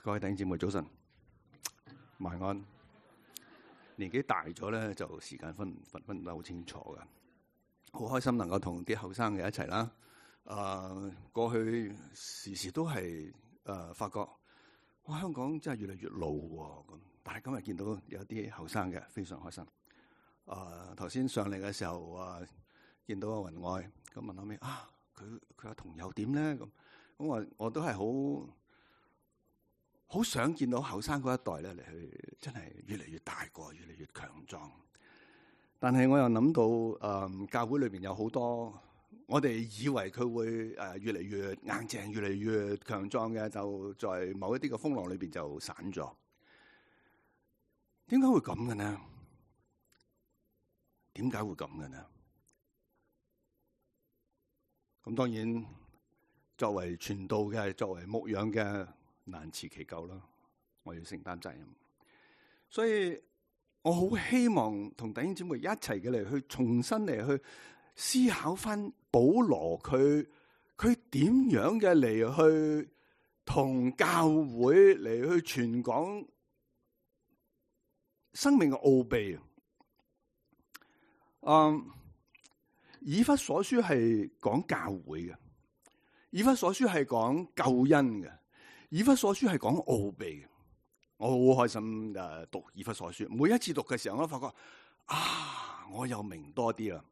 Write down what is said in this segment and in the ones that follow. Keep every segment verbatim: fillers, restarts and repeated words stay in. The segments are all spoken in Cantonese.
各位弟兄姊妹早晨，晚安。年紀大咗咧，就時間分分分得好清楚噶。好開心能夠同啲後生嘅一齊啦。誒、呃，過去時時都係誒、呃、發覺，哇！香港真係越嚟越老喎。咁，但係今日見到有啲後生嘅，非常開心。誒頭先上嚟嘅時候啊，見到阿雲愛，咁問後尾啊，佢佢阿同又點咧？咁咁我我都係好好想見到後生嗰一代咧嚟去，真係越嚟越大個，越嚟越強壯。但係我又諗到誒、嗯，教會裏邊有好多我哋以為佢會誒越嚟越硬淨、越嚟越強壯嘅，就在某一啲嘅風浪裏邊就散咗。點解會咁嘅呢？點解會咁嘅呢？咁當然，作為傳道嘅、作為牧養嘅，難辭其咎啦。我要承擔責任，所以我好希望同弟兄姊妹一齊嘅嚟去重新嚟去思考翻保羅佢佢點樣嘅嚟去同教會嚟去傳講生命嘅奧秘。嗯，以弗所書係講教會嘅，以弗所書係講救恩嘅，以弗所書係講奧秘嘅。我好開心誒讀以弗所書，每一次讀嘅時候，我都發覺啊，我又明多啲啦。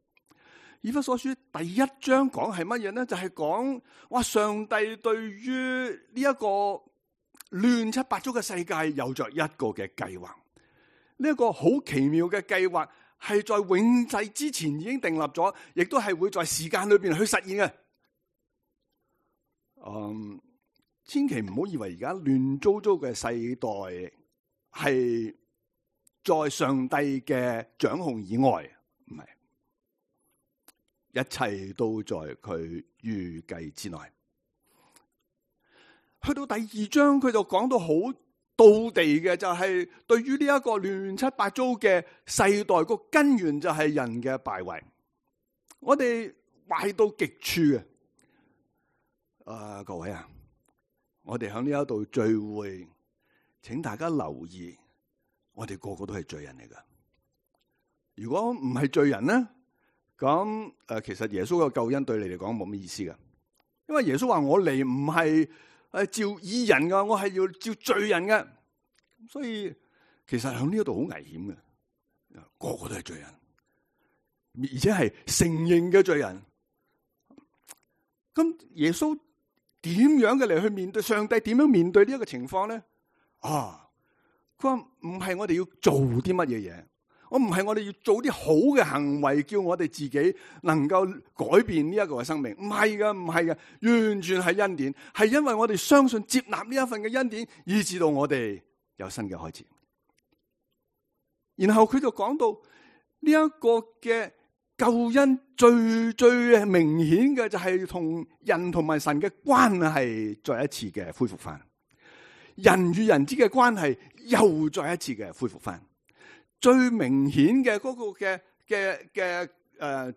以弗所書第一章講係乜嘢咧？就係講哇，上帝對於呢一個亂七八糟嘅世界有着一個嘅計劃，呢一個好奇妙嘅計劃。係在永世之前已經訂立咗，亦都係會在時間裏邊去實現嘅。嗯，千祈唔好以為而家亂糟糟嘅世代係在上帝嘅掌控以外，唔係，一切都在佢預計之內。去到第二章，佢就講到好到地嘅，就係對於呢一個亂七八糟嘅世代，個根源就係人嘅敗壞。我哋壞到極處嘅。啊，各位啊，我哋喺呢一度聚會，請大家留意，我哋個個都係罪人嚟噶。如果唔係罪人咧，咁誒，其實耶穌嘅救恩對你嚟講冇咩意思噶，因為耶穌話我嚟唔係誒召義人噶，我係要召罪人嘅，所以其實喺呢一度好危險嘅，個個都係罪人，而且係承認嘅罪人。咁耶穌點樣嘅嚟去面對上帝？點樣面對呢一個情況咧？啊，佢話唔係我哋要做啲乜嘢嘢，我唔係我哋要做啲好嘅行為，叫我哋自己能夠改變呢一個嘅生命，唔係噶，唔係噶，完全係恩典，係因為我哋相信接納呢一份嘅恩典，以致到我哋有新嘅開始。然後佢就講到呢一個嘅救恩最最明顯嘅就係同人同埋神嘅關係再一次嘅恢復翻，人與人之嘅關係又再一次嘅恢復翻。最明顯嘅嗰個嘅嘅嘅誒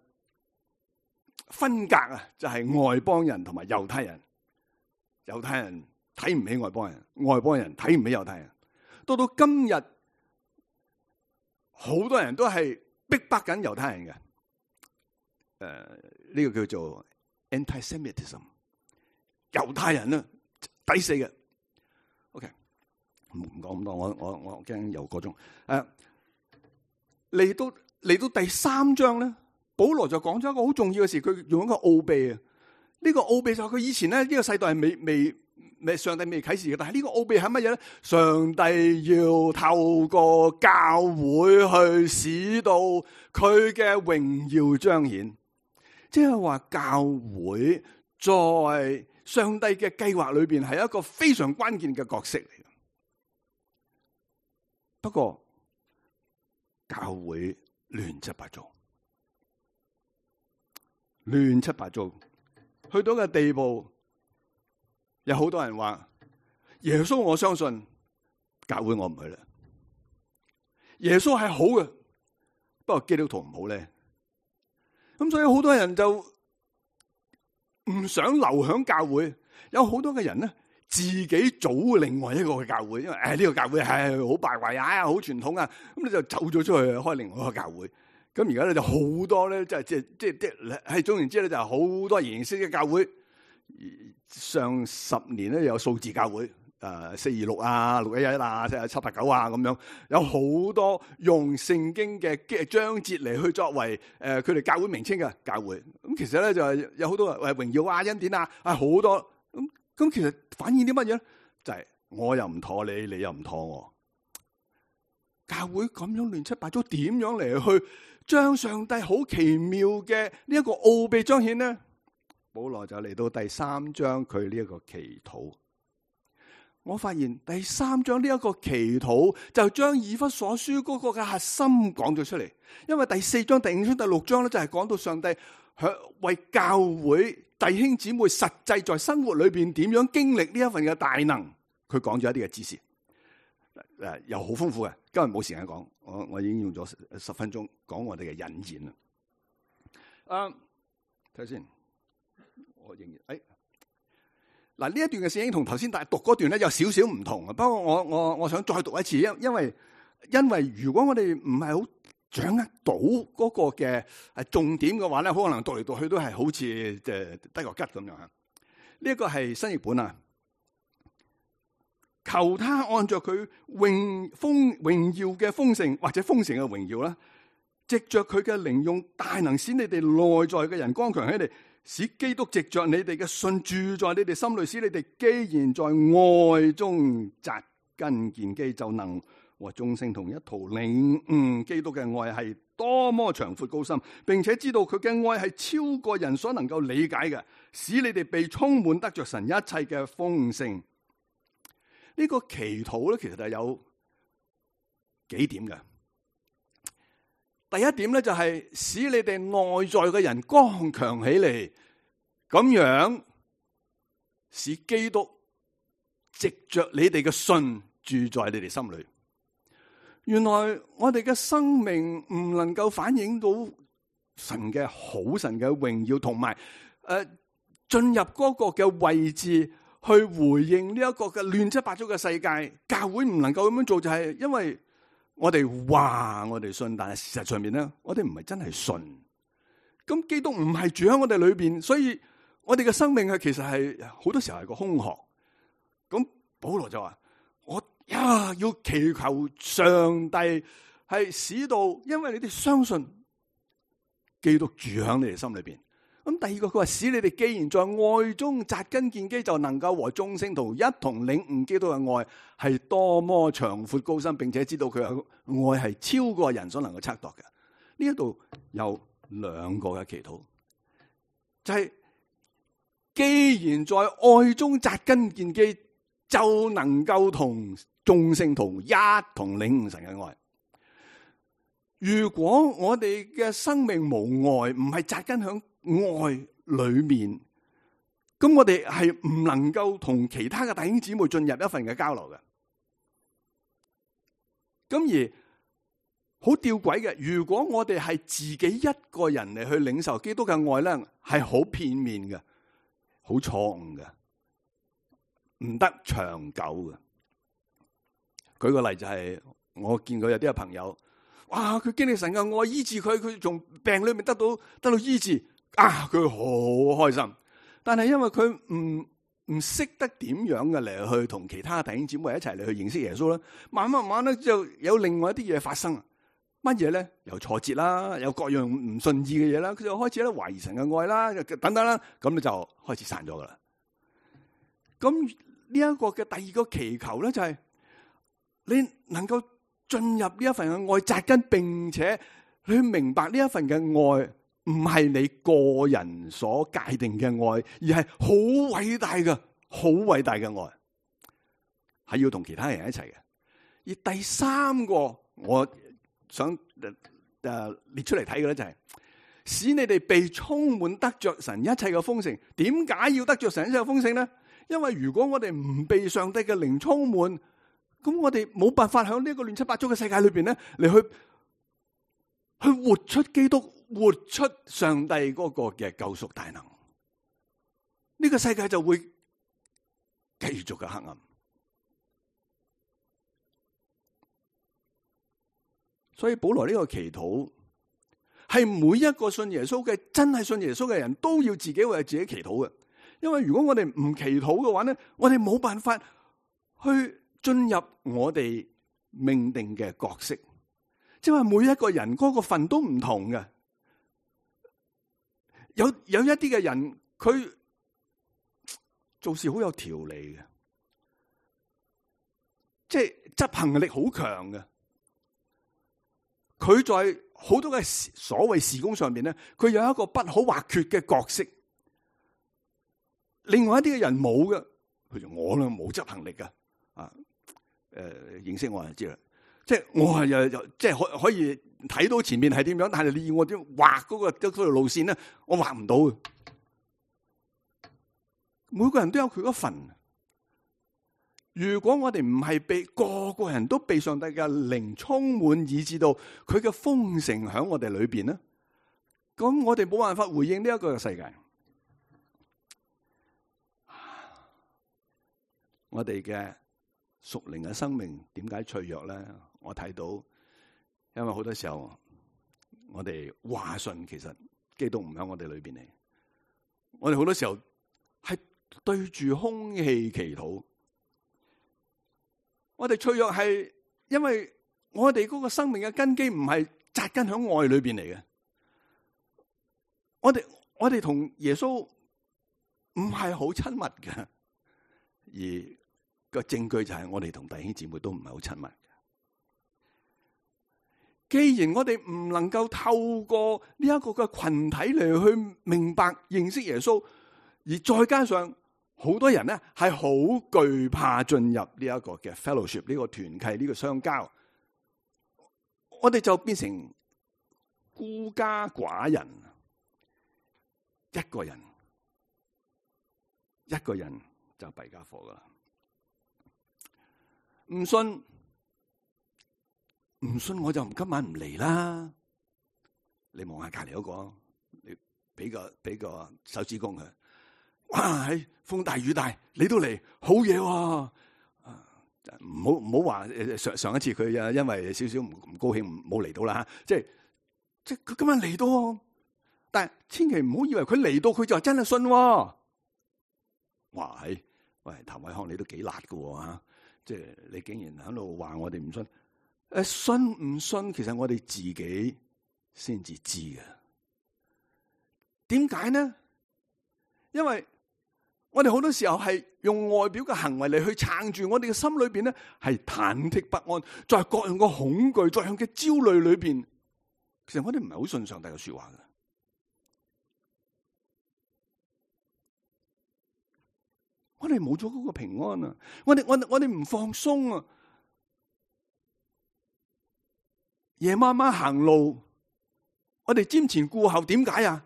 分隔啊，就係外邦人同埋猶太人。猶太人睇唔起外邦人，外邦人睇唔起猶太人。到到今日，好多人都係逼迫緊猶太人嘅。誒、呃，呢、這個叫做 anti-Semitism， 猶太人啊，抵死嘅。OK， 唔唔講咁多，我我我驚又個鐘。誒、呃。嚟到嚟到第三章咧，保羅就講咗一個好重要嘅事，佢用一個奧秘啊！呢個奧秘就係佢以前咧呢個世代係未未未上帝未啟示嘅，但係呢個奧秘係乜嘢咧？上帝要透過教會去使到佢嘅榮耀彰顯，即係話教會在上帝嘅計劃裏邊係一個非常關鍵嘅角色嚟嘅。不過，教會亂七八糟，亂七八糟，去到個地步，有好多人話耶穌我相信，教會我唔去啦。耶穌係好嘅，不過基督徒唔好咧。咁所以好多人就唔想留響教會，有好多嘅人咧自己組另外一個嘅教會，因為誒呢個教會係好敗壞啊，好傳統啊，咁你就走咗出去開另外一個教會。咁而家咧就好多咧，即係即係即係即係係總言之咧，就係好多形式嘅教會。上十年咧有數字教會，誒四二六啊、六一一啊、七七八九啊咁樣，有好多用聖經嘅章節嚟去作為誒佢哋教會名稱嘅教會。咁其實咧就係有好多誒榮耀啊、恩典啊，啊好多咁咁，其實反映啲乜嘢咧？就係我又唔妥你，你又唔妥我。教會咁樣亂七八糟，點樣嚟去將上帝好奇妙嘅呢一個奧秘彰顯呢？保羅就嚟到第三章佢呢一個祈禱。我發現第三章呢一個祈禱就將以弗所書嗰個嘅核心講咗出嚟。因為第四章、第五章、第六章咧就係講到上帝為教會弟兄姊妹實際在生活裏邊點樣經歷呢一份嘅大能，佢講咗一啲嘅知識，誒又好豐富嘅。今日冇時間講，我我已經用咗十分鐘講我哋嘅引言啦。啊，睇下先。我仍然誒，嗱呢一段嘅聖經同頭先大讀嗰段咧有少少唔同啊。不過我我我想再讀一次，因因為因為如果我哋唔係好掌握到嗰個嘅誒重點嘅話咧，可能讀嚟讀去都係好似誒得個吉咁樣吓。呢一個係新譯本啊，求他按照佢榮豐榮耀嘅豐盛或者豐盛嘅榮耀啦，藉着佢嘅靈用大能，使你哋內在嘅人剛強起嚟。使基督藉着你哋嘅信住在你哋心裏，使你哋既然在愛中扎根建基，就能和眾聖同一途領悟基督嘅愛係多麼長闊高深，並且知道佢嘅愛係超過人所能夠理解嘅，使你哋被充滿得着神一切嘅豐盛。呢、這個祈禱咧，其實係有幾點嘅。第一點咧就係使你哋內在嘅人剛強起嚟，咁樣使基督藉着你哋嘅信住在你哋心裏。原來我哋嘅生命唔能夠反映到神嘅好、神嘅榮耀，同埋誒進入嗰個嘅位置去回應呢一個嘅亂七八糟嘅世界。教會唔能夠咁樣做，就係因為我哋話我哋信，但係事實上面咧，我哋唔係真係信。咁基督唔係住喺我哋裏邊，所以我哋嘅生命係其實係好多時候係個空殼。咁保羅就話：我呀要祈求上帝係使到，因為你哋相信基督住喺你哋心裏邊。咁第二個佢話：使你哋既然在愛中扎根建基，就能夠和眾聖徒一同領悟基督嘅愛係多麼長闊高深，並且知道佢嘅愛係超過人所能夠測度嘅。呢一度有兩個嘅祈禱，就係、是、既然在愛中扎根建基，就能夠同眾聖徒一同領悟神嘅愛。如果我哋嘅生命無愛，唔係扎根響愛裏面，咁我哋係唔能夠同其他嘅弟兄姊妹進入一份嘅交流嘅。咁而好吊詭嘅，如果我哋係自己一個人嚟去領受基督嘅愛咧，係好片面嘅，好錯誤嘅，唔得長久嘅。舉個例就係、是，我見過有啲嘅朋友，哇！佢經歷神嘅愛醫治佢，佢從病裏面得到得到醫治。啊！佢好開心，但係因為佢唔唔識得點樣嘅嚟去同其他弟兄姊妹一齊嚟去認識耶穌啦。慢慢慢慢咧就有另外一啲嘢發生，乜嘢咧？有挫折啦，有各樣唔順意嘅嘢啦，佢就開始咧懷疑神嘅愛啦，等等啦，咁你就開始散咗噶啦。咁呢一個嘅第二個祈求咧，就係你能夠進入呢一份嘅愛扎根，並且去明白呢一份嘅愛。唔係你個人所界定嘅愛，而係好偉大嘅、好偉大嘅愛，係要同其他人一齊嘅。而第三個我想誒、呃、列出嚟睇嘅咧，就係使你哋被充滿得着神一切嘅豐盛。點解要得着神一切嘅豐盛咧？因為如果我哋唔被上帝嘅靈充滿，咁我哋冇辦法喺呢一個亂七八糟嘅世界裏邊咧，嚟去去活出基督。活出上帝嗰個嘅救贖大能，呢個世界就會繼續嘅黑暗。所以保羅呢個祈禱係每一個信耶穌嘅，真係信耶穌嘅人都要自己為自己祈禱嘅。因為如果我哋唔祈禱嘅話咧，我哋冇辦法去進入我哋命定嘅角色。即係話每一個人嗰個份都唔同嘅。有有一啲嘅人佢做事好有條理嘅，即係執行力好強嘅。佢在好多嘅所謂事工上面咧，佢有一個不可或缺嘅角色。另外一啲嘅人冇嘅，佢就我咧冇執行力嘅。啊，誒、呃，認識我就知啦。即係我係又又即係可可以睇到前面係點樣，但係你要我點畫嗰個嗰條路線咧，我畫唔到嘅。每個人都有佢嗰份。如果我哋唔係被個個人都被上帝嘅靈充滿，以致到佢嘅豐盛喺我哋裏邊咧，咁我哋冇辦法回應呢一個世界。我哋嘅屬靈嘅生命點解脆弱咧？我睇到，因為好多時候我哋話信，其實基督唔喺我哋裏邊嚟。我哋好多時候係對住空氣祈禱。我哋脆弱係因為我哋嗰個生命嘅根基唔係扎根喺愛裏邊嚟嘅。我哋我哋同耶穌唔係好親密嘅，而個證據就係我哋同弟兄姊妹都唔係好親密嘅。既然我哋唔能夠透過呢一個嘅群體嚟去明白認識耶穌，而再加上好多人咧係好懼怕進入呢一個嘅 fellowship， 呢個團契，呢個相交，我哋就變成孤家寡人，一個人一個人就弊家伙噶啦。唔信唔信我就今晚唔嚟啦。你望下隔籬嗰個，你俾個俾個手指公佢。哇！喺風大雨大，你都嚟，好嘢喎！唔好唔好話上上一次佢啊，因為少少唔唔高興，冇嚟到啦。即係即係佢今晚嚟到，但係千祈唔好以為佢嚟到佢就真係信喎。哇！係喂，譚偉康你都幾辣噶吓！即係你竟然喺度話我哋唔信，誒，信唔信其實我哋自己先至知嘅。點解呢？因為我哋好多時候係用外表嘅行為嚟去撐住我哋嘅心裏邊咧，係忐忑不安，在各樣嘅恐懼、各樣嘅焦慮裏邊，其實我哋唔係好信上帝嘅說話嘅。我哋冇咗嗰個平安啊！我哋我我哋唔放鬆啊！夜媽媽行路，我哋瞻前顧後，點解啊？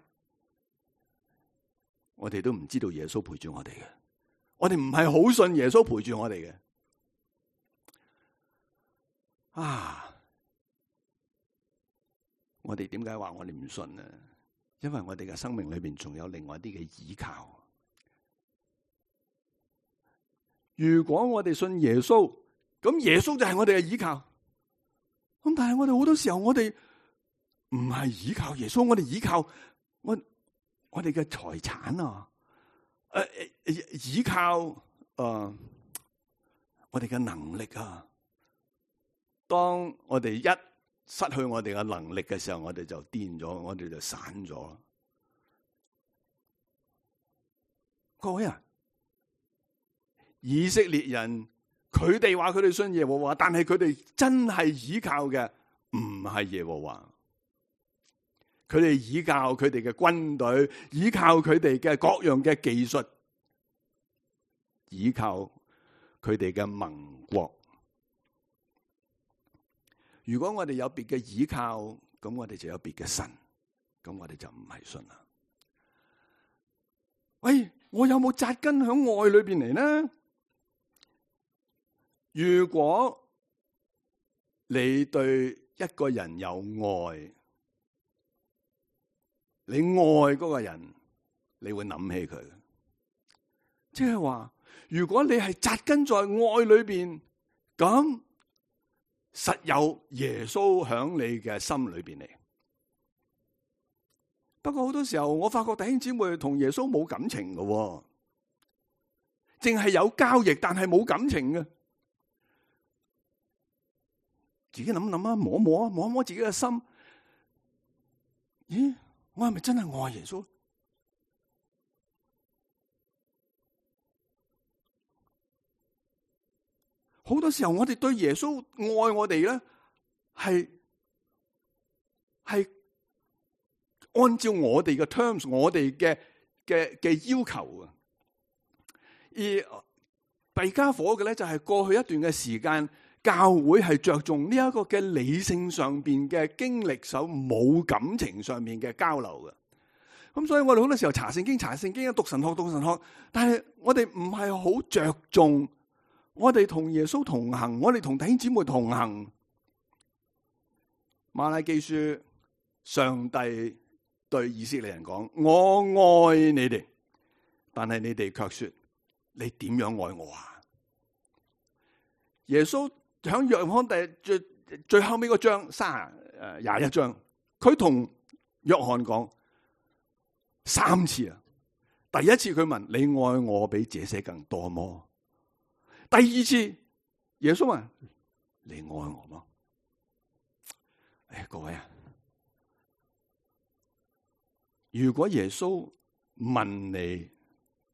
我哋都唔知道耶穌陪住我哋嘅，我哋唔係好信耶穌陪住我哋嘅。啊！我哋點解話我哋唔信呢？因為我哋嘅生命裏邊仲有另外一啲嘅依靠。如果我哋信耶穌，咁耶穌就係我哋嘅依靠。咁但係我哋好多時候，我哋唔係依靠耶穌，我哋依靠我我哋嘅財產啊，誒誒，依靠誒、呃、我哋嘅能力啊。當我哋一失去我哋嘅能力嘅時候，我哋就癲咗，我哋就散咗。各位啊！以色列人佢哋話佢哋信耶和華，但係佢哋真係依靠嘅唔係耶和華，佢哋依靠佢哋嘅軍隊，依靠佢哋嘅各樣嘅技術，依靠佢哋嘅盟國。如果我哋有別嘅依靠，咁我哋就有別嘅神，咁我哋就唔係信啦。喂，我有冇扎根喺愛裏邊嚟呢？如果你對一個人有愛，你愛嗰個人，你會諗起佢。即係話，如果你係扎根在愛裏邊，咁實有耶穌響你嘅心裏邊嚟。不過好多時候，我發覺弟兄姊妹同耶穌冇感情嘅，淨係有交易，但係冇感情嘅。自己諗諗啊，摸摸啊，摸摸自己嘅心。咦，我係咪真係愛耶穌？好多時候我哋對耶穌愛我哋咧，係係按照我哋嘅 terms， 我哋嘅嘅嘅要求啊。而弊家伙嘅咧，就係過去一段嘅時間，教會係着重呢一個嘅理性上邊嘅經歷，手冇感情上面嘅交流嘅。咁所以我哋好多時候查聖經、查聖經、讀神學、讀神學，但係我哋唔係好着重。我哋同耶穌同行，我哋同弟兄姊妹同行。馬拉基書，上帝對以色列人講：我愛你哋，但係你哋卻說：你點樣愛我啊？耶穌響約翰第最最後尾嗰章三誒廿一章，佢同約翰講三次啊。第一次佢問：你愛我比這些更多麼？第二次，耶穌話：你愛我嗎？誒，各位啊，如果耶穌問你，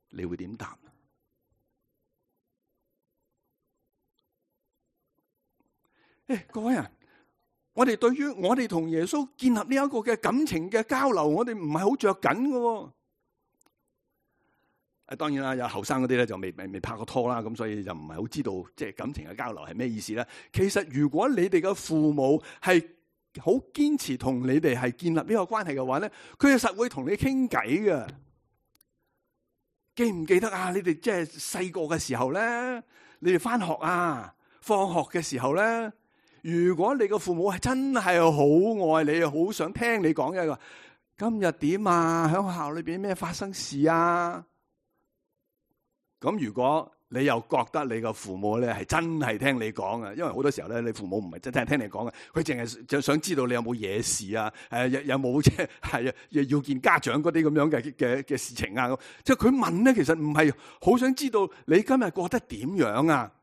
你會點答？誒，各位啊，我哋對於我哋同耶穌建立呢一個嘅感情嘅交流，我哋唔係好着緊嘅。誒，當然啦，有後生嗰啲咧就未未未拍過拖啦，咁所以就唔係好知道即係感情嘅交流係咩意思咧。其實如果你哋嘅父母係好堅持同你哋係建立呢個關係嘅話咧，佢係實會同你傾偈嘅。記唔記得啊？你哋即係細個嘅時候咧，你哋翻學啊、放學嘅時候咧，如果你嘅父母係真係好愛你，好想聽你講嘅，今日點啊？喺學校裏邊咩發生事啊？咁如果你又覺得你個父母咧係真係聽你講啊，因為好多時候咧，你父母唔係真係聽你講嘅，佢淨係就想知道你有冇嘢事啊，誒有有冇即係要見家長嗰啲咁樣嘅嘅嘅事情啊，即係佢問咧，其實唔係好想知道你今日過得點樣啊。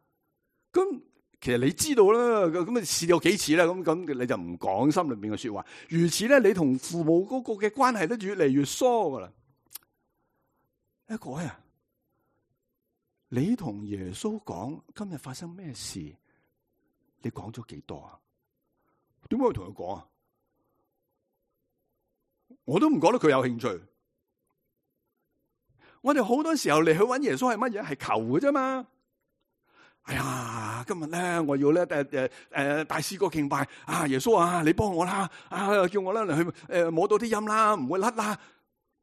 咁其實你知道啦，咁你試過幾次啦，咁咁你就唔講心裏邊嘅說話。如此咧，你同父母嗰個嘅關係都越嚟越疏噶啦。一個啊！你同耶穌講今日發生咩事？你講咗幾多啊？點解要同佢講啊？我都唔覺得佢有興趣。我哋好多時候嚟去揾耶穌係乜嘢？係求嘅啫嘛。哎呀，今日咧我要咧誒誒誒大詩歌敬拜啊！耶穌啊，你幫我啦！啊，叫我咧嚟去誒摸到啲音啦，唔會甩啦。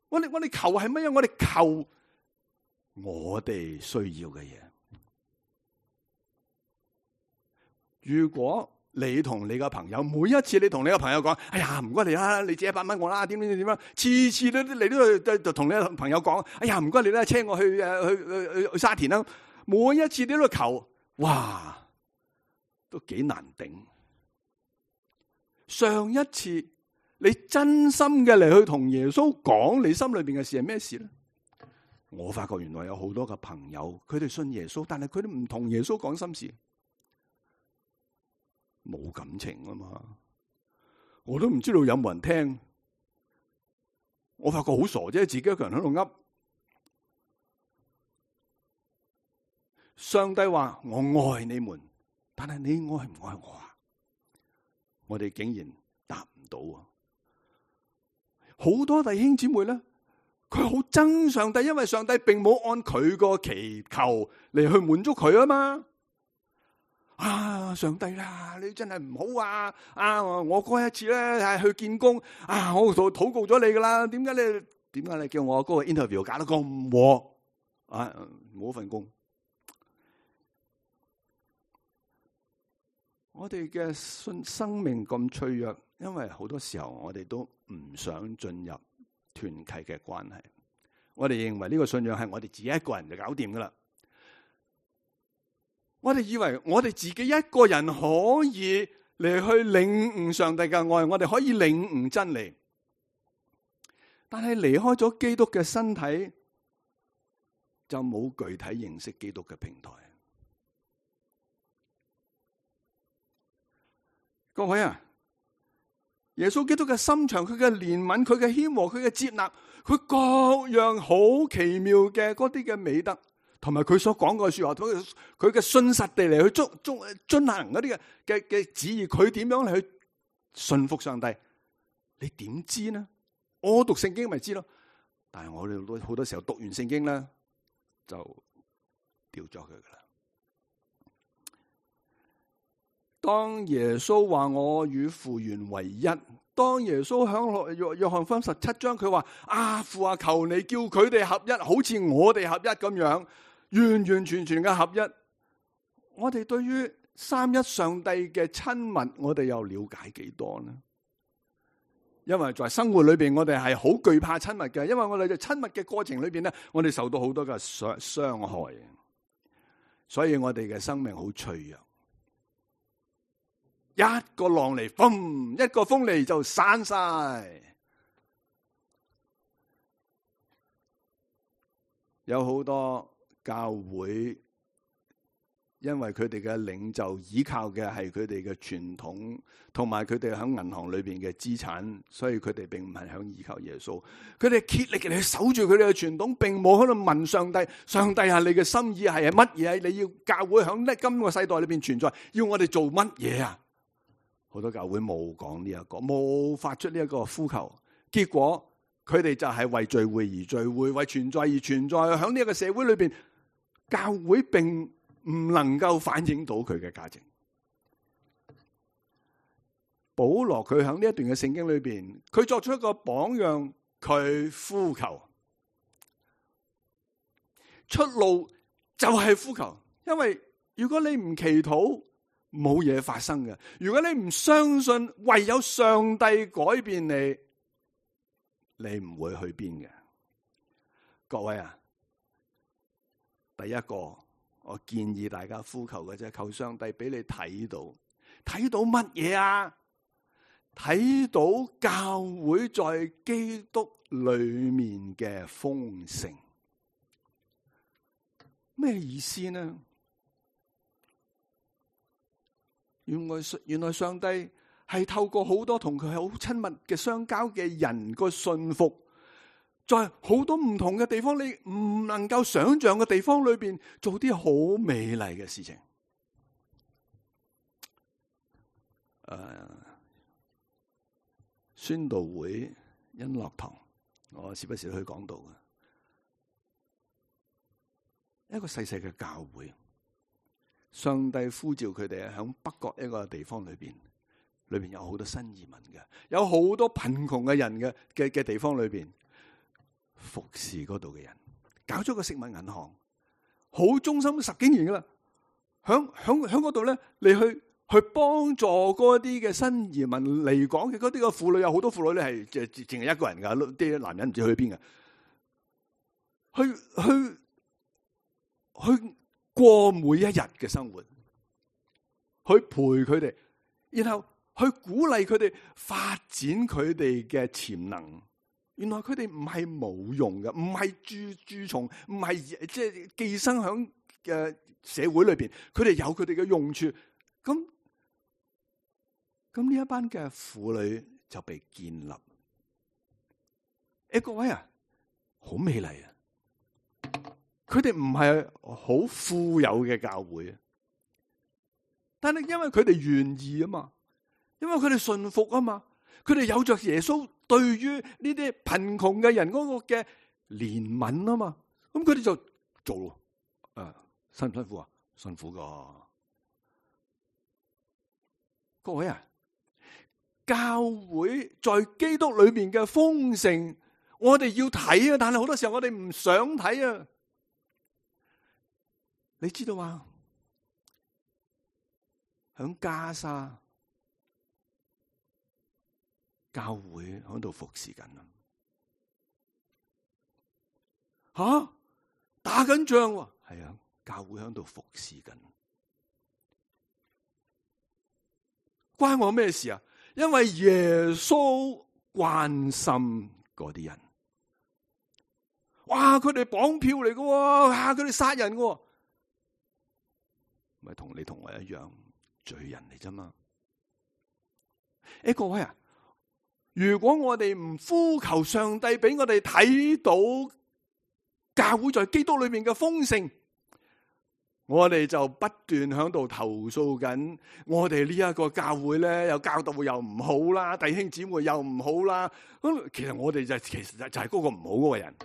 我哋我哋求係乜嘢？我哋求。我哋需要嘅嘢，如果你同你嘅朋友，每一次你同你嘅朋友講，哎呀唔該你啦，你借一百蚊我啦，點點點點啦，次次都你都就同你嘅朋友講，哎呀唔該你啦，車我去誒去去去沙田啦，每一次你都求，哇，都幾難頂。上一次你真心嘅嚟去同耶穌講你心裏邊嘅事係咩事咧？我發覺原來有好多嘅朋友，佢哋信耶穌，但係佢哋唔同耶穌講心事，冇感情啊嘛。我都唔知道有冇人聽。我發覺好傻啫，自己一個人喺度噏。上帝話我愛你們，但係你愛唔愛我啊？我哋竟然答唔到啊！好多弟兄姊妹咧。佢好憎上帝，因為上帝並冇按佢個祈求嚟去滿足佢啊嘛。啊，上帝啦，你真係唔好啊！啊，我嗰一次咧係去見工啊，我禱禱告咗你噶啦。點解你點解你叫我嗰個 interview 搞得咁鑊啊？冇份工。我哋嘅信生命咁脆弱，因為好多時候我哋都唔想進入團契嘅關係，我哋認為呢個信仰係我哋自己一個人就搞掂噶啦。我哋以為我哋自己一個人可以嚟去領悟上帝嘅愛，我哋可以領悟真理。但係離開咗基督嘅身體，就冇具體認識基督嘅平台。各位啊，耶穌基督嘅心腸，佢嘅憐憫，佢嘅謙和，佢嘅接納，佢各樣好奇妙嘅嗰啲嘅美德，同埋佢所講嘅說話，佢佢嘅信實地嚟去遵遵遵行嗰啲嘅嘅嘅旨意，佢點樣嚟去順服上帝？你點知呢？我讀聖經咪知咯，但係我哋好多好多時候讀完聖經咧，就掉咗佢噶啦。當耶穌話我與父原為一，當耶穌響約約翰福音十七章佢話啊，父啊，求你叫佢哋合一，好似我哋合一咁樣，完完全全嘅合一。我哋對於三一上帝嘅親密，我哋又了解幾多呢？因為在生活裏邊，我哋係好懼怕親密嘅，因為我哋在親密嘅過程裏邊咧，我哋受到好多嘅傷傷害，所以我哋嘅生命好脆弱。一個浪嚟，嘣！一個風嚟就散晒。有好多教會，因為佢哋嘅領袖依靠嘅係佢哋嘅傳統，同埋佢哋喺銀行裏邊嘅資產，所以佢哋並唔係響依靠耶穌。佢哋竭力嚟去守住佢哋嘅傳統，並冇喺度問上帝：上帝啊，你嘅心意係乜嘢？你要教會響呢今個世代裏邊存在，要我哋做乜嘢啊？好多教會冇講呢一個，冇發出呢一個呼求，結果佢哋就係為聚會而聚會，為存在而存在。響呢一個社會裏邊，教會並唔能夠反映到佢嘅價值。保羅佢響呢一段嘅聖經裏邊，佢作出一個榜樣，佢呼求出路就係呼求，因為如果你唔祈禱，冇嘢發生嘅。如果你唔相信唯有上帝改變你，你唔會去邊嘅。各位啊，第一個我建議大家呼求嘅啫，求上帝俾你睇到，睇到乜嘢啊？睇到教會在基督裏面嘅豐盛。咩意思呢？原來原來上帝係透過好多同佢好親密嘅相交嘅人個信服，在好多唔同嘅地方，你唔能夠想象嘅地方裏邊，做啲好美麗嘅事情。誒、uh,，宣道會恩樂堂，我時不時去講道嘅一個細細嘅教會。上帝呼召佢哋喺北角一個地方裏邊，裏邊有好多新移民嘅，有好多貧窮嘅人嘅嘅嘅地方裏邊，服侍嗰度嘅人，搞咗個食物銀行，好忠心十幾年噶啦，響響響嗰度咧，你去去幫助嗰啲嘅新移民嚟講嘅嗰啲嘅婦女，有好多婦女咧係淨淨係一個人噶，啲男人唔知去邊嘅，去去去。去過每一日嘅生活，去陪佢哋，然後去鼓勵佢哋發展佢哋嘅潛能。原來佢哋唔係冇用嘅，唔係蛀蛀蟲，唔係即係寄生響嘅社會裏邊。佢哋有佢哋嘅用處。咁咁呢一班嘅婦女就被建立。誒，各位啊，好美麗啊！佢哋唔係好富有嘅教會，但係因為佢哋願意啊嘛，因為佢哋信服啊嘛，佢哋有着耶穌對於呢啲貧窮嘅人嗰個嘅憐憫啊嘛，咁佢哋就做咯。誒，辛唔辛苦啊？辛苦噶。各位啊，教會在基督裏面嘅豐盛，我哋要睇啊，但係好多時候我哋唔想睇啊。你知道嗎？響加沙教會響度服侍緊啊！吓，打緊仗喎，係啊，教會響度服侍緊。關我咩事啊？因為耶穌關心嗰啲人。哇！佢哋綁票嚟嘅，哇！佢哋殺人嘅，咪同你同我一樣罪人嚟啫嘛。誒，各位啊，如果我哋唔呼求上帝俾我哋睇到教會在基督裏面嘅豐盛，我哋就不斷喺度投訴緊，我哋呢一個教會咧，又教導又唔好啦，弟兄姊妹又唔好啦。咁其實我哋就其實就係嗰個唔好嗰個人。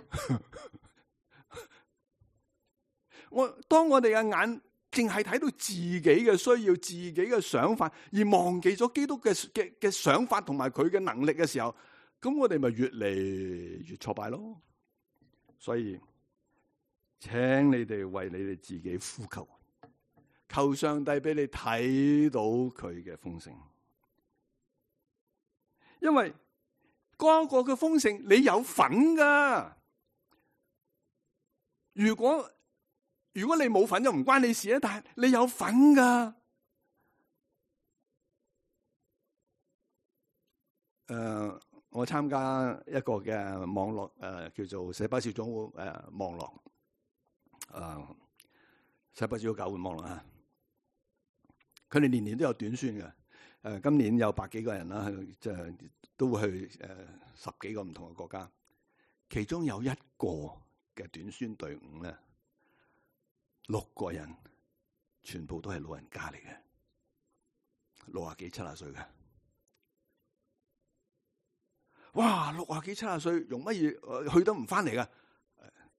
我當我哋嘅眼淨係睇到自己嘅需要、自己嘅想法，而忘記咗基督嘅嘅嘅想法同埋佢嘅能力嘅時候，咁我哋咪越嚟越挫敗咯。所以，請你哋為你哋自己呼求，求上帝俾你睇到佢嘅豐盛，因為嗰個嘅豐盛你有份噶。如果如果你冇份就唔關你事啊，但係你有份噶。誒、呃，我參加一個嘅網絡誒、呃，叫做洗巴小組誒、呃、網絡，誒、呃，洗巴小組教會網絡啊。佢哋年年都有短宣嘅，誒、呃，今年有百幾個人啦，即係都會去誒、呃、十幾個唔同嘅國家，其中有一個嘅短宣隊伍咧。六個人全部都係老人家嚟嘅，六啊幾七啊歲嘅。哇，六啊幾七啊歲，用乜嘢去得唔翻嚟噶？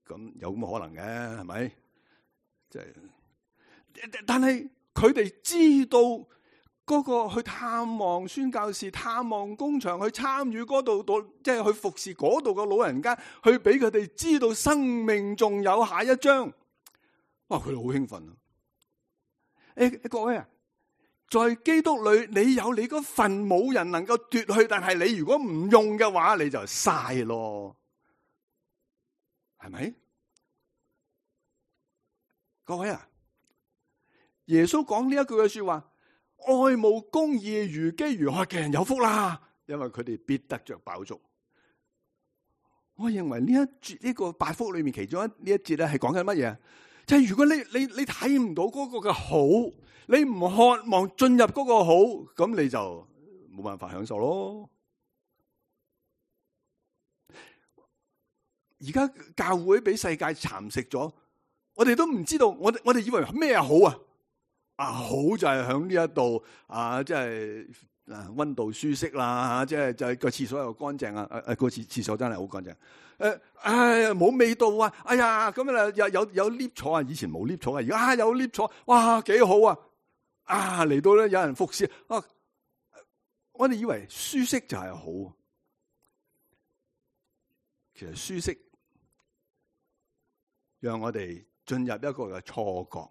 咁有咁嘅可能嘅，係咪？即係，但係佢哋知道嗰個去探望宣教士、探望工場、去參與嗰度度，即係去服侍嗰度嘅老人家，去俾佢哋知道生命仲有下一章。哇！佢哋好興奮啊！誒，各位啊，在基督裏你有你嗰份，冇人能夠奪去。但係你如果唔用嘅話，你就嘥咯，係咪？各位啊，耶穌講呢一句嘅說話：愛慕公義如飢如渴嘅人有福啦，因為佢哋必得着飽足。我認為呢一節呢個八福裏面其中一呢一節咧係講緊乜嘢？即係如果你你你睇唔到嗰個嘅好，你唔渴望進入嗰個好，咁你就冇辦法享受咯。而家教會俾世界蠶食咗，我哋都唔知道，我哋我哋以為咩好啊？啊，好就係響呢一度啊，即係啊溫度舒適啦，即係就係個廁所又乾淨啊，誒誒個廁廁所真係好乾淨。誒，唉，冇味道啊！哎呀，咁啊有有有 lift 坐啊，以前冇 lift 坐啊，而家有 lift 坐，哇，幾好啊！啊，嚟到咧有人服侍啊，我哋以為舒適就係好，其實舒適讓我哋進入一個嘅錯覺，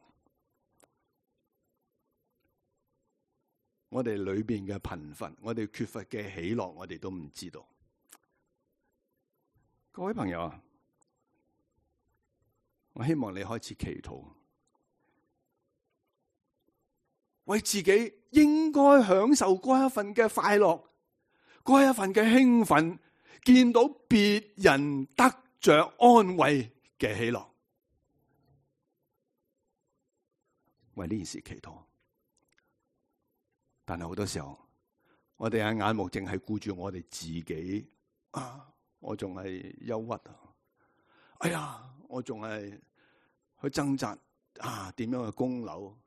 我哋裏邊嘅貧乏，我哋缺乏嘅喜樂，我哋都唔知道。各位朋友啊，我希望你開始祈禱，為自己應該享受嗰一份嘅快樂，嗰一份嘅興奮，見到別人得着安慰嘅喜樂，為呢件事祈禱。但係好多時候，我哋嘅眼目淨係顧住我哋自己啊。我仲係憂鬱啊！哎呀，我仲係去掙扎啊，點樣去供樓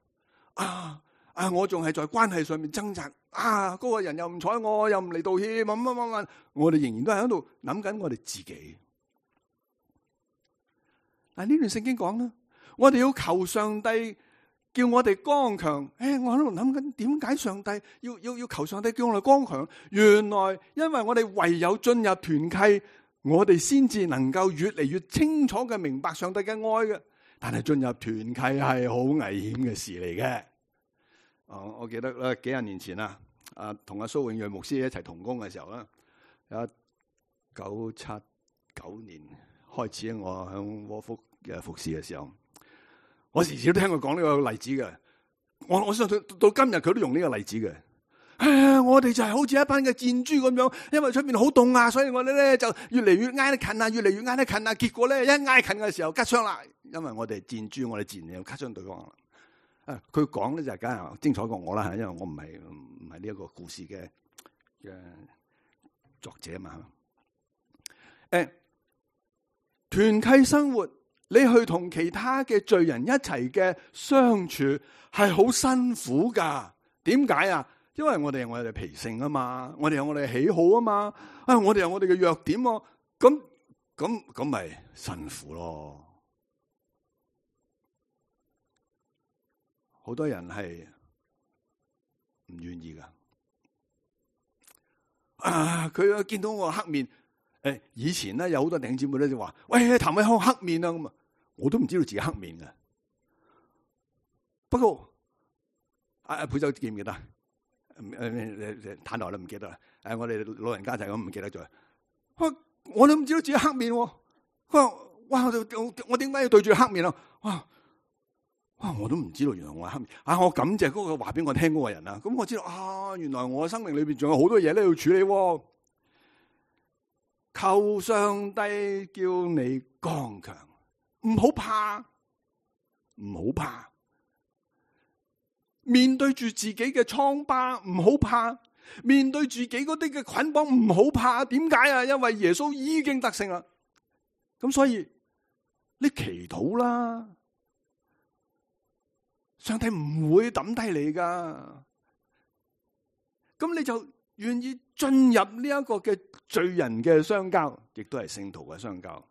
啊？啊，我仲係在關係上面掙扎啊！嗰個人又唔睬我，又唔嚟道歉，乜乜乜乜，我哋仍然都係喺度諗緊我哋自己。嗱，呢段聖經講啦，我哋要求上帝叫我哋剛強。誒，我喺度諗緊點解上帝要要要求上帝叫我哋剛強？原來因為我哋唯有進入團契，我哋先至能夠越嚟越清楚嘅明白上帝嘅愛嘅。但係進入團契係好危險嘅事嚟嘅。哦，我記得咧幾廿年前啊，啊同阿蘇永瑞牧師一齊同工嘅時候咧，一九七九年開始我響窩福嘅服侍嘅時候。我時時都聽佢講呢個例子嘅，我我相信到今日佢都用呢個例子嘅。誒，我哋就係好似一班嘅箭豬咁樣，因為出面好凍啊，所以我哋咧就越嚟越挨得近啊，越嚟越挨得近啊。結果咧一挨近嘅時候，吉傷啦，因為我哋箭豬，我哋自然又吉傷對方啦。啊，佢講咧就梗係精彩過我啦，因為我唔係唔係呢一個故事嘅嘅作者嘛。誒，團契生活，你去同其他嘅罪人一齊嘅相處係好辛苦噶。點解啊？因為我哋有我哋嘅脾性啊嘛，我哋有我哋嘅喜好啊嘛，啊我哋有我哋嘅弱點喎，咁咁咁咪辛苦咯。好多人係唔願意噶，啊佢見到我黑面，誒以前咧有好多弟兄姊妹咧就話，喂譚偉康黑面啊，咁啊，我都唔知道自己黑面嘅。不過阿阿佩州記唔記得？誒，坦白都唔記得啦。誒，我哋老人家就係咁唔記得咗。我都唔知道自己黑面。佢話：哇，我我點解要對住黑面啊？哇哇，我都唔知道原來我係黑面。啊，我感謝嗰個話俾我聽嗰個人啊。咁我知道啊，原來我嘅生命裏邊仲有好多嘢咧要處理。求上帝叫你剛強，唔好怕，唔好怕。面對住自己嘅瘡疤，唔好怕；面對住自己嗰啲嘅捆綁，唔好怕。點解啊？因為耶穌已經得勝啦。咁所以你祈禱啦，上帝唔會抌低你噶。咁你就願意進入呢一個嘅罪人嘅相交，亦都係聖徒嘅相交。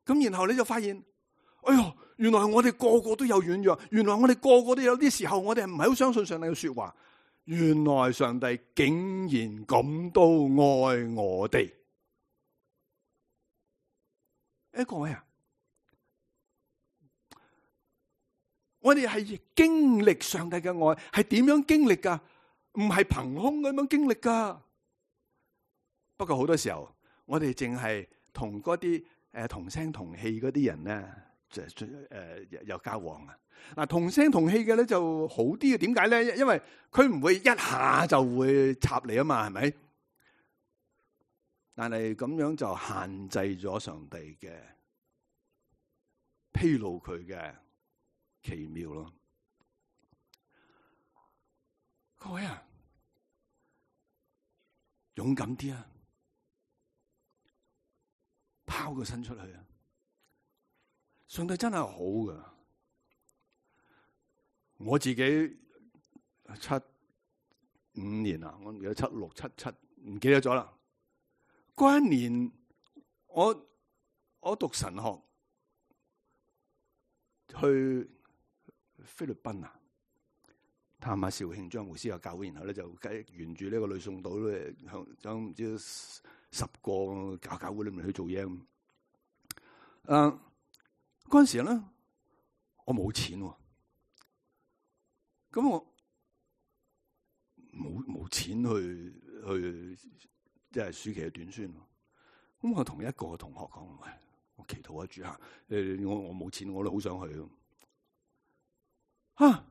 咁然後你就發現，哎喲，原來我哋個個都有軟弱，原來我哋個個都有啲時候，我哋唔係好相信上帝嘅說話。原來上帝竟然咁都愛我哋。誒，各位啊，我哋係經歷上帝嘅愛，係點樣經歷噶？唔係憑空咁樣經歷噶。不過好多時候，我哋淨係同嗰啲誒同聲同氣嗰啲人咧，就誒有交往啊。嗱，同聲同氣嘅咧就好啲嘅。點解咧？因為佢唔會一下就會插你啊嘛，係咪？但係咁樣就限制咗上帝嘅披露佢嘅奇妙咯。各位啊，勇敢啲啊，拋個身出去啊！上帝真係好噶。我自己七五年啊，我唔記得七六七七，唔記得咗啦。嗰一年我我讀神學去菲律賓啊，探下肇慶張牧師嘅教會，然後咧就沿住呢個呂宋島咧向向唔知十個教教會裏面去做嘢咁。誒、呃，嗰陣時咧我冇錢喎。咁我冇冇錢去去即係暑期嘅短宣。咁我同一個同學講：喂，我祈禱一主下，誒，我我冇錢，我都好想去。啊！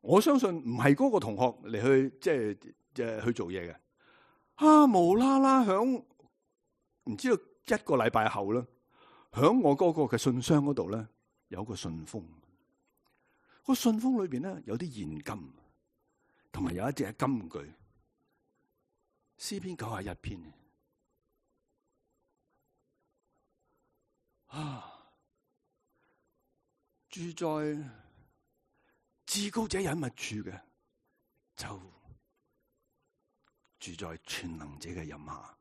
我相信唔係嗰個同學嚟去即係即係去做嘢嘅。啊！無啦啦響唔知道一個禮拜後咧，響我嗰個嘅信箱嗰度咧有個信封。個信封裏邊咧有啲現金，同埋有一隻金句，詩篇九十一篇。啊，住在至高者隱密處嘅，就住在全能者嘅蔭下。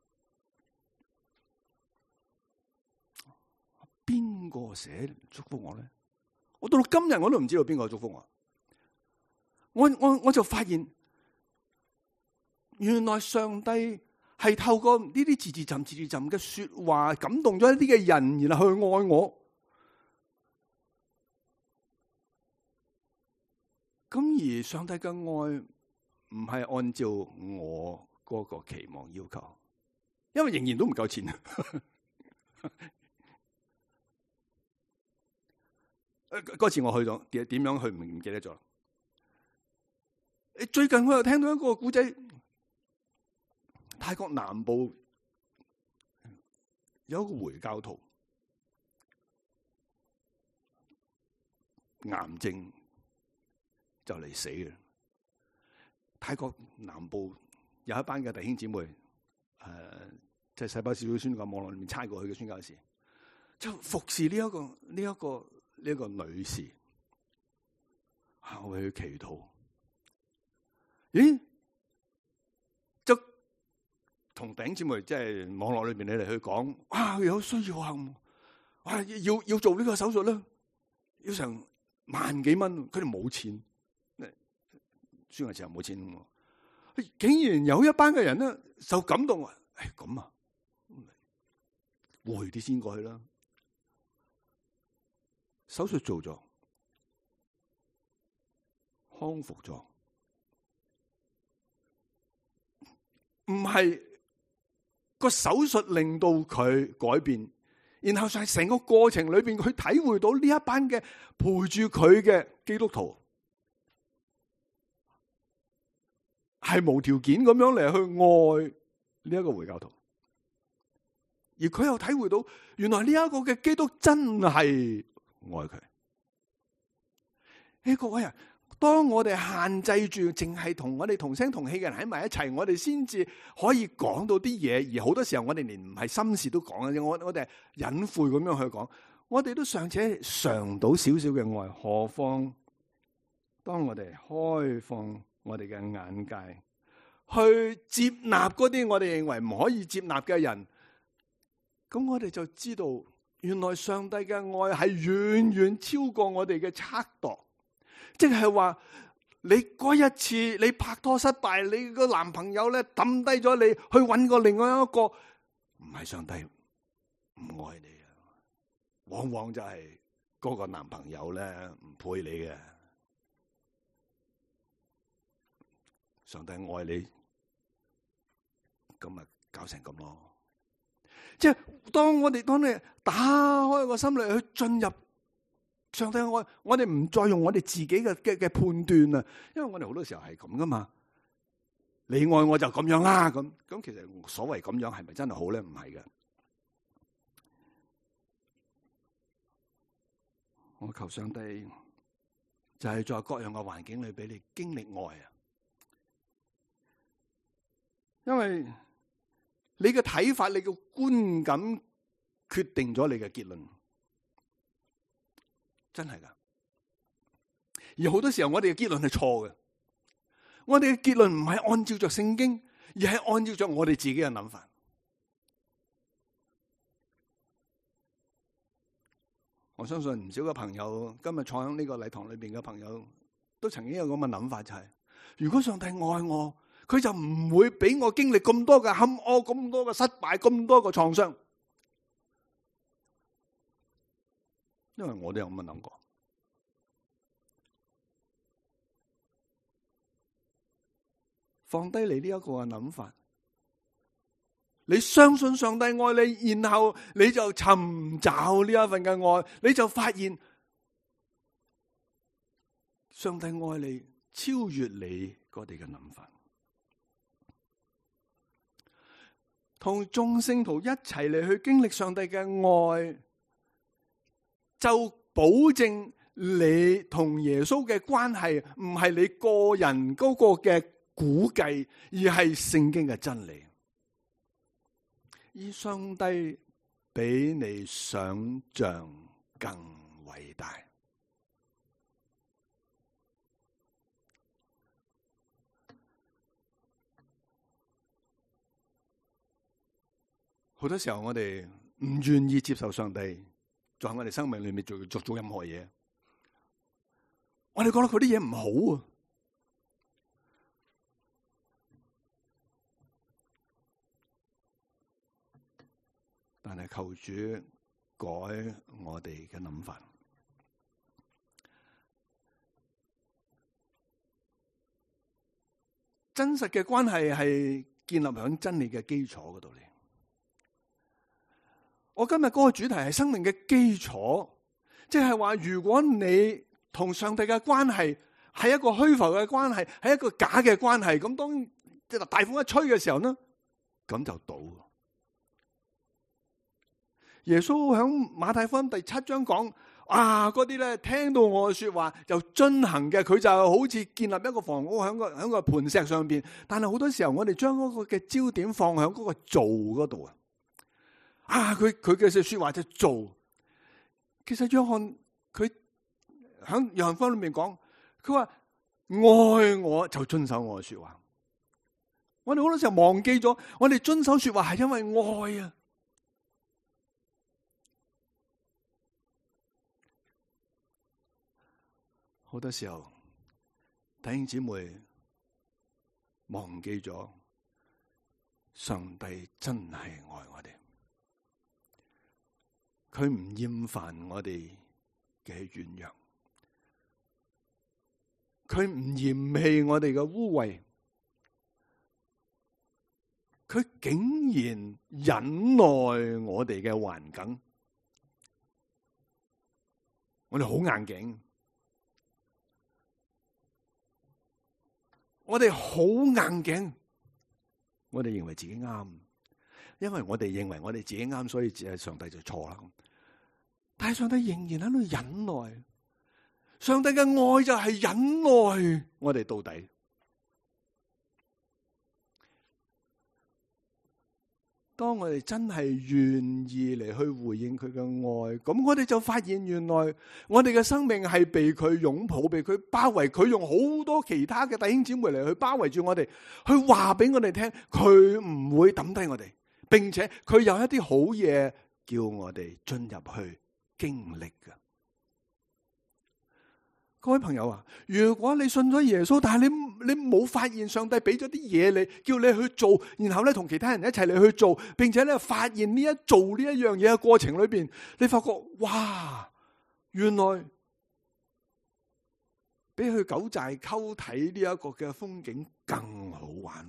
邊個寫祝福我咧？我到到今日我都唔知道邊個祝福我。我我我就發現，原來上帝係透過呢啲字字浸字字浸嘅說話，感動咗一啲嘅人，然後去愛我。咁而上帝嘅愛唔係按照我嗰個期望要求，因為仍然都唔夠錢。嗰次我去咗，點點樣去唔唔記得咗。最近我又聽到一個故仔，泰國南部有一個回教徒癌症就嚟死嘅。泰國南部有一班嘅弟兄姊妹，誒、呃，即係細胞小組宣教網絡裏面差過去嘅宣教士，就服侍呢、這、一個呢一、這個呢一、這個女士，啊，我為佢祈禱。咦？就同弟兄姊妹即係網絡裏邊你哋去講，哇，有需要啊！哇，要要做呢個手術咧，要成萬幾蚊，佢哋冇錢。宣教時候冇錢，竟然有一班嘅人咧受感動啊！誒，咁啊，攰啲先過去啦。手術做咗，康復咗，唔係個手術令到佢改變，然後就係成個過程裏邊，佢體會到呢一班嘅陪住佢嘅基督徒係無條件咁樣嚟去愛呢一個回教徒，而佢又體會到原來呢一個嘅基督真係愛佢。誒，各位啊，當我哋限制住淨係同我哋同聲同氣嘅人喺埋一齊，我哋先至可以講到啲嘢，而好多時候我哋連唔係心事都講嘅，我我哋係隱晦咁樣去講，我哋都尚且嘗到少少嘅愛，何況當我哋開放我哋嘅眼界，去接納嗰啲我哋認為唔可以接納嘅人，咁我哋就知道，原來上帝嘅愛係遠遠超過我哋嘅測度。即係話，你嗰一次你拍拖失敗，你個男朋友咧抌低咗你，去搵個另外一個，唔係上帝唔愛你啊，往往就係嗰個男朋友咧唔配你嘅。上帝愛你，咁咪搞成咁咯。即係當我哋當你打開個心嚟去進入上帝嘅愛，我哋唔再用我哋自己嘅嘅嘅判斷啊，因為我哋好多時候係咁噶嘛。你愛我就咁樣啦，咁咁其實所謂咁樣係咪真係好咧？唔係嘅。我求上帝就係在各樣嘅環境裏俾你經歷愛啊。因為你嘅睇法、你嘅觀感決定咗你嘅結論，真係噶。而好多時候我哋嘅結論係錯嘅，我哋嘅結論唔係按照着聖經，而係按照着我哋自己嘅諗法。我相信唔少嘅朋友今日坐喺呢個禮堂裏邊嘅朋友，都曾經有咁嘅諗法，就係如果上帝愛我，佢就唔會俾我經歷咁多嘅坎坷、咁多嘅失敗、咁多嘅創傷，因為我都有咁樣諗過。放低你呢一個嘅諗法，你相信上帝愛你，然後你就尋找呢一份嘅愛，你就發現上帝愛你超越你嗰啲嘅諗法。同眾聖徒一齊嚟去經歷上帝嘅愛，就保證你同耶穌嘅關係唔係你個人嗰個嘅估計，而係聖經嘅真理。而上帝比你想象更偉大。好多時候我哋唔願意接受上帝在我哋生命裏面做做做任何嘢，我哋覺得佢啲嘢唔好啊。但係求主改我哋嘅諗法。真實嘅關係係建立喺真理嘅基礎嗰度嚟。我今日嗰個主題係生命嘅基礎，即係話如果你同上帝嘅關係係一個虛浮嘅關係，係一個假嘅關係。咁當即係大風一吹嘅時候呢，咁就倒。耶穌響馬太福音第七章講，啊嗰啲咧聽到我嘅說話就遵行嘅，佢就好似建立一個房屋響個響個磐石上邊。但係好多時候我哋將嗰個嘅焦點放響嗰個做嗰度啊。啊佢佢嘅說話就做。其實約翰佢響約翰福音裏面講，佢話愛我就遵守我嘅說話。我哋好多時候忘記咗，我哋遵守說話係因為愛啊。好多時候弟兄姊妹忘記咗，上帝真係愛我哋，佢唔厭煩我哋嘅軟弱，佢唔嫌棄我哋嘅污穢，佢竟然忍耐我哋嘅環境。我哋好硬頸，我哋好硬頸，我哋認為自己啱，因為我哋認為我哋自己啱，所以只係上帝就錯啦。但係上帝仍然喺度忍耐，上帝嘅愛就係忍耐我哋到底。當我哋真係願意嚟去回應佢嘅愛，咁我哋就發現原來我哋嘅生命係被佢擁抱，被佢包圍。佢用好多其他嘅弟兄姊妹嚟去包圍住我哋，去話俾我哋聽，佢唔會抌低我哋，並且佢有一啲好嘢叫我哋進入去經歷嘅。各位朋友啊，如果你信咗耶穌，但係你你冇發現上帝俾咗啲嘢你，叫你去做，然後咧同其他人一齊嚟去做，並且咧發現呢一做呢一樣嘢嘅過程裏邊，你發覺哇，原來比去九寨溝睇呢一個嘅風景更好玩，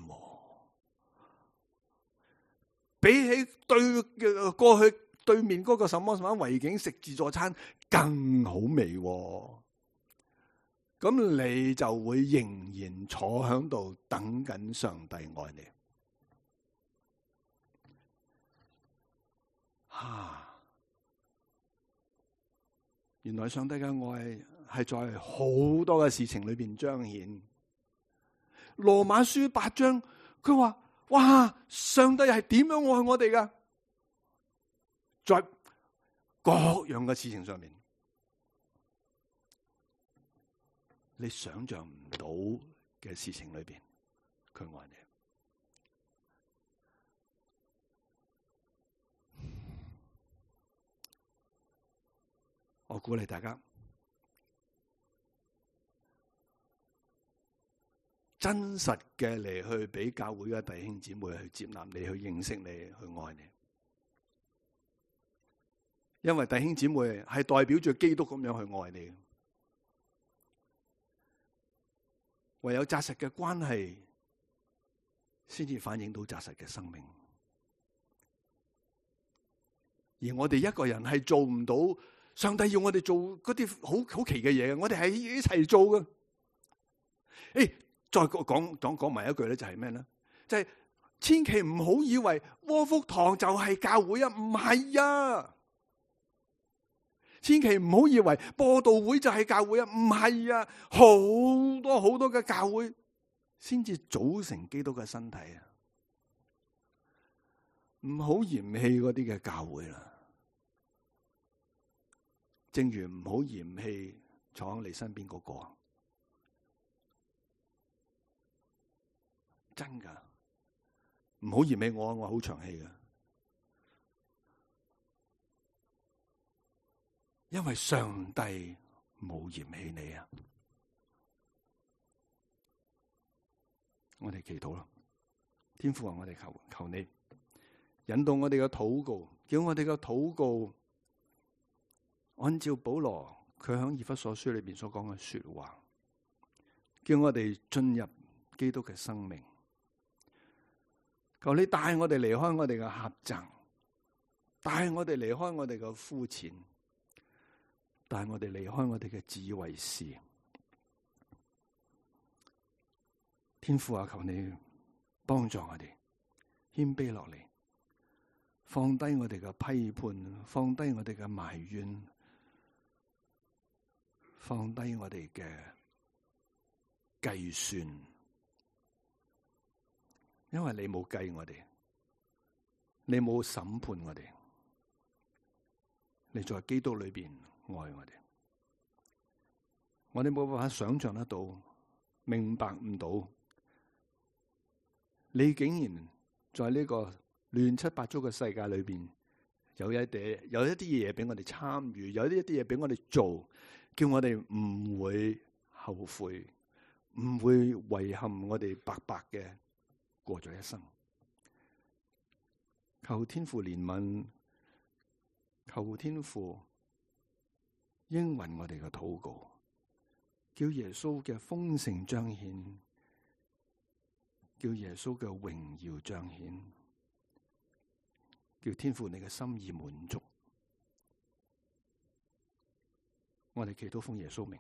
比起對過去對面嗰個什麼什麼維景食自助餐更好味。咁你就會仍然坐喺度等緊上帝愛你。啊，原來上帝嘅愛係在好多嘅事情裏邊彰顯。羅馬書八章，佢話：哇，上帝係點樣愛我哋噶？在各樣嘅事情上面。你想象唔到嘅事情裏邊，佢愛你。我鼓勵大家真實嘅嚟去俾教會嘅弟兄姊妹去接納你，去認識你，去愛你。因為弟兄姊妹係代表住基督咁樣去愛你。唯有紮實嘅關係，先至反映到紮實嘅生命。而我哋一個人係做唔到，上帝要我哋做嗰啲好好奇嘅嘢，我哋係一齊做嘅。誒，再講講講埋一句咧，就係咩咧？就係千祈唔好以為窩福堂就係教會啊，唔係啊！千祈唔好以為播道會就係教會啊，唔係啊，好多好多嘅教會先至組成基督嘅身體啊！唔好嫌棄嗰啲嘅教會啦，正如唔好嫌棄坐喺你身邊嗰個，真噶，唔好嫌棄我，我好長氣噶。因為上帝冇嫌棄你啊！我哋祈禱啦，天父啊，我哋求求你引導我哋嘅禱告，叫我哋嘅禱告按照保羅佢喺以弗所書裏邊所講嘅說話，叫我哋進入基督嘅生命。求你帶我哋離開我哋嘅狹窄，帶我哋離開我哋嘅膚淺。但係我哋離開我哋嘅自以為是，天父啊，求你幫助我哋謙卑落嚟，放低我哋嘅批判，放低我哋嘅埋怨，放低我哋嘅計算，因為你冇計我哋，你冇審判我哋，你在基督裏邊愛我哋，我哋冇辦法想象得到，明白唔到，你竟然在呢個亂七八糟嘅世界裏邊，有一啲有一啲嘢俾我哋參與，有一啲嘢俾我哋做，叫我哋唔會後悔，唔會遺憾我哋白白嘅過咗一生。求天父憐憫，求天父應允我哋嘅禱告，叫耶穌嘅豐盛彰顯，叫耶穌嘅榮耀彰顯，叫天父你嘅心意滿足。我哋祈禱奉耶穌名。